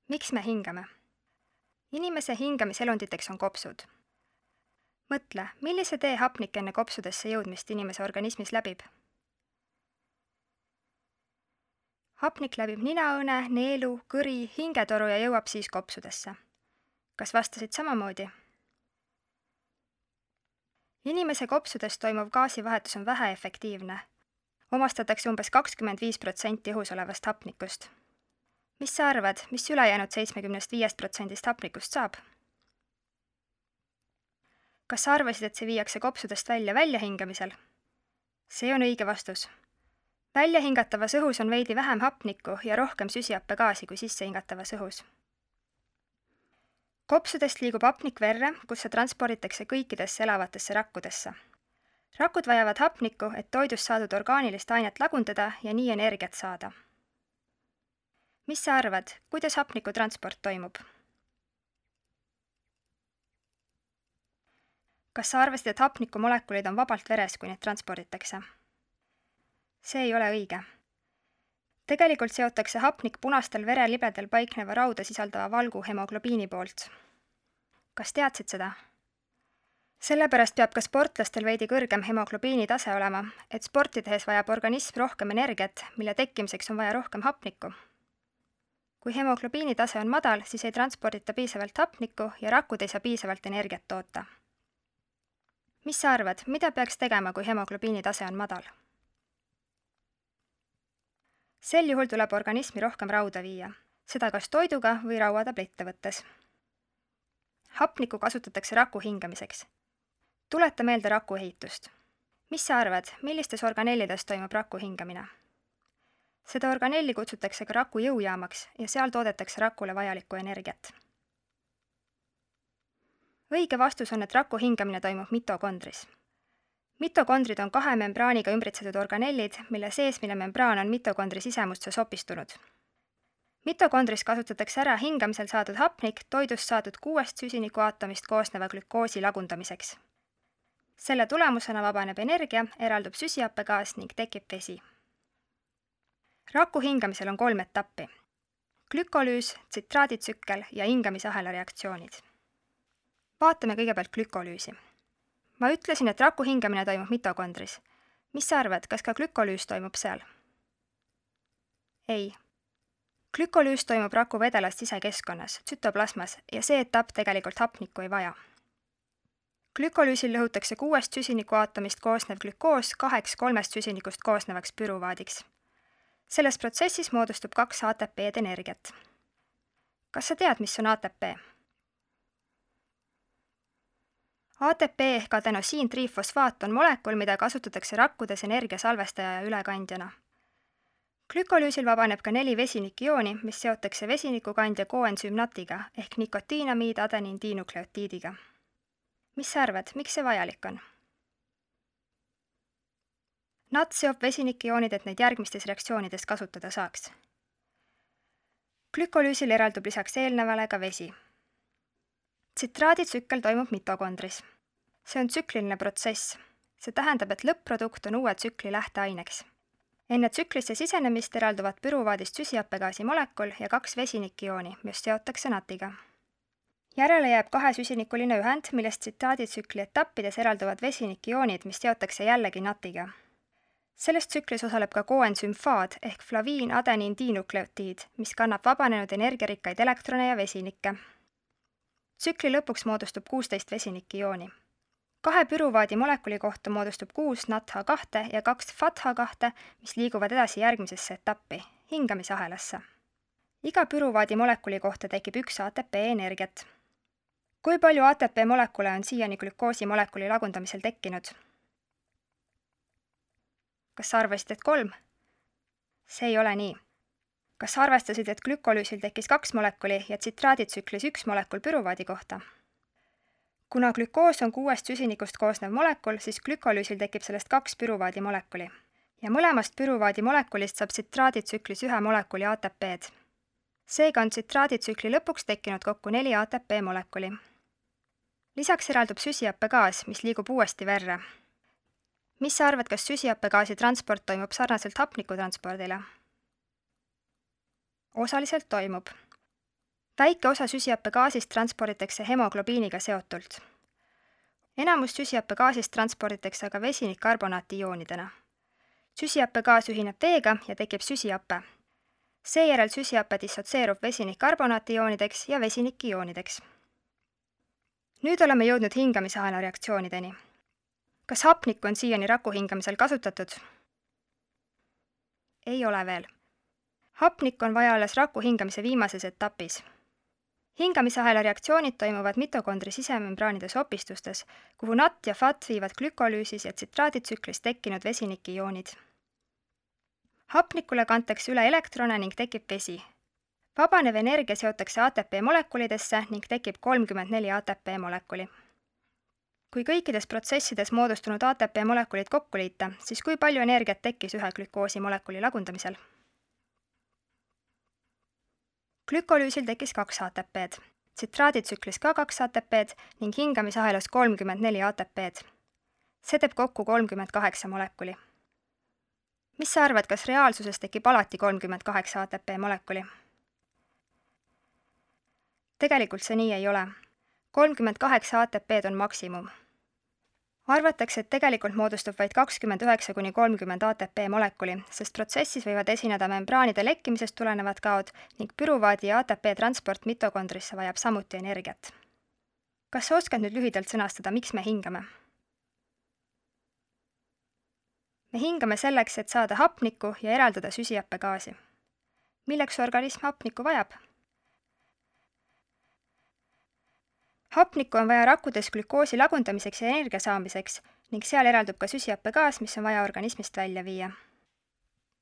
Miks me hingame? Inimese hingamiselunditeks on kopsud. Mõtle, millise tee hapnik enne kopsudesse jõudmist inimese organismis läbib? Hapnik läbib ninaõne, neelu, kõri, hingetoru ja jõuab siis kopsudesse. Kas vastasid samamoodi? Inimese kopsudes toimuv gaasivahetus on väheefektiivne. Omastatakse umbes 25% õhus olevast hapnikust. Mis sa arvad, mis ülejäänud 75% hapnikust saab? Kas sa arvasid, et see viiakse kopsudest välja hingamisel? See on õige vastus. Välja hingatavas õhus on veidi vähem hapnikku ja rohkem süsihappegaasi kui sisse hingatavas õhus. Kopsudest liigub hapnik verre, kus see transporditakse kõikidesse elavatesse rakkudesse. Rakud vajavad hapnikku, et toidust saadud orgaanilist ainet lagundada ja nii energiat saada. Mis sa arvad, kuidas hapniku transport toimub? Kas sa arvasid, et hapnikumolekulid on vabalt veres, kui neid transporditakse? See ei ole õige. Tegelikult seotakse hapnik punastel verelibedel paikneva rauda sisaldava valgu hemoglobiini poolt. Kas teadsid seda? Sellepärast peab ka sportlastel veidi kõrgem hemoglobiini tase olema, et sporti tehes vajab organism rohkem energiat, mille tekkimiseks on vaja rohkem hapnikku. Kui hemoglobiini tase on madal, siis ei transpordita piisavalt hapnikku ja rakud ei saa piisavalt energiat toota. Mis sa arvad, mida peaks tegema, kui hemoglobiini tase on madal? Sel juhul tuleb organismi rohkem rauda viia, seda kas toiduga või rauatablette võttes. Hapnikku kasutatakse raku hingamiseks. Tuleta meelde raku ehitust. Mis sa arvad, millistes organellides toimub raku hingamine? Seda organelli kutsutakse ka raku jõujaamaks ja seal toodetakse rakule vajalikku energiat. Õige vastus on, et raku hingamine toimub mitokondris. Mitokondrid on 2 membraaniga ümbritsetud organellid, mille seesmine membraan on mitokondri sisemusse sopistunud. Mitokondris kasutatakse ära hingamisel saadud hapnik toidust saadud 6 süsinikuaatomist koosneva glükoosi lagundamiseks. Selle tulemusena vabaneb energia, eraldub süsihappegaas ning tekib vesi. Raku hingamisel on 3 etappi. Glükolüüs, tsitraaditsükkel ja hingamisahela reaktsioonid. Vaatame kõigepealt glükolüüsi. Ma ütlesin, et raku hingamine toimub mitokondris. Mis sa arvad, kas ka glükolüüs toimub seal? Ei. Glükolüüs toimub raku vedelas sisekeskkonnas, tsütoplasmas, ja see etapp tegelikult hapnikku ei vaja. Glükolüüsil lõhutakse 6 süsinikuaatomist koosnev glükoos 2 3 süsinikust koosnevaks püruvaadiks. Selles protsessis moodustub 2 ATP-d energiat. Kas sa tead, mis on ATP? ATP ehk adenosiin-triifosfaat on molekul, mida kasutatakse rakkudes energiasalvestaja ja ülekandjana. Glükolüüsil vabaneb ka 4 vesinikijooni, mis seotakse vesinikukandja koensüüm NAT-iga ehk nikotiinamiid adeniin-diinukleotiidiga. Mis sa arvad, miks see vajalik on? NAT seob vesinikijoonid, et neid järgmistes reaktsioonides kasutada saaks. Glükolüüsil eraldub lisaks eelnevale ka vesi. Tsitraaditsükkel toimub mitokondris. See on tsükliline protsess. See tähendab, et lõpp-produkt on uue tsükli lähteaineks. Enne tsüklisse sisenemist eralduvad püruvaadist süsihappegaasi molekul ja 2 vesinikijooni, mis seotakse NAT-iga. Järele jääb 2 süsinikuline ühend, millest tsitraaditsükli etappides eralduvad vesinikijoonid, mis seotakse jällegi NAT-iga. Selles tsüklis osaleb ka koensüüm FAD ehk flaviin adeniin-diinukleotiid, mis kannab vabanenud energiarikkaid elektrone ja vesinikke. Tsükli lõpuks moodustub 16 vesinikijooni. 2 püruvaadi molekuli kohta moodustub 6 NADH2 ja 2 FADH2, mis liiguvad edasi järgmisesse etappi, hingamisahelasse. Iga püruvaadi molekuli kohta tekib 1 ATP energiat. Kui palju ATP molekule on siiani glükoosi molekuli lagundamisel tekkinud? Kas sa arvasid, et 3? See ei ole nii. Kas arvestasid, et glükolüüsil tekkis 2 molekuli ja tsitraaditsüklis 1 molekul püruvaadi kohta? Kuna glükoos on 6 süsinikust koosnev molekul, siis glükolüüsil tekib sellest 2 püruvaadi molekuli. Ja mõlemast püruvaadi molekulist saab tsitraaditsüklis 1 molekuli ATP-d. Seega on tsitraaditsükli lõpuks tekkinud kokku 4 ATP molekuli. Lisaks eraldub süsihappegaas, mis liigub uuesti verre. Mis sa arvad, kas süsihappegaasi transport toimub sarnaselt hapnikutranspordile? Osaliselt toimub. Väike osa süsihappegaasist transporditakse hemoglobiiniga seotult. Enamus süsihappegaasist transporditakse aga vesinikkarbonaati ioonidena. Süsihappegaas ühineb veega ja tekib süsihappe. Seejärel süsihappe dissotseerub vesinikkarbonaati ioonideks ja vesinikiioonideks. Nüüd oleme jõudnud hingamisahela reaktsioonideni. Kas hapnikku on siiani raku hingamisel kasutatud? Ei ole veel. Hapnikku on vaja alles raku hingamise viimases etapis. Hingamisahela reaktsioonid toimuvad mitokondri sisemembraanides opistustes, kuhu NAT ja FAT viivad glükolüüsis ja tsitraaditsüklis tekkinud vesinikiioonid. Hapnikule kantakse üle elektrone ning tekib vesi. Vabanev energia seotakse ATP molekulidesse ning tekib 34 ATP molekuli. Kui kõikides protsessides moodustunud ATP molekulid kokku liita, siis kui palju energiat tekkis ühe glükoosi molekuli lagundamisel? Glükolüüsil tekkis 2 ATP-d, tsitraaditsüklis ka 2 ATP-d ning hingamisahelas 34 ATP-d. See teeb kokku 38 molekuli. Mis sa arvad, kas reaalsuses tekib alati 38 ATP molekuli? Tegelikult see nii ei ole. 38 ATP-d on maksimum. Arvatakse, et tegelikult moodustub vaid 29–30 ATP molekuli, sest protsessis võivad esineda membraanide lekkimisest tulenevad kaod ning püruvaadi ja ATP transport mitokondrisse vajab samuti energiat. Kas sa oskad nüüd lühidalt sõnastada, miks me hingame? Me hingame selleks, et saada hapnikku ja eraldada süsihappegaasi. Milleks organism hapnikku vajab? Hapnikku on vaja rakkudes glükoosi lagundamiseks ja energia saamiseks ning seal eraldub ka süsihappegaas, mis on vaja organismist välja viia.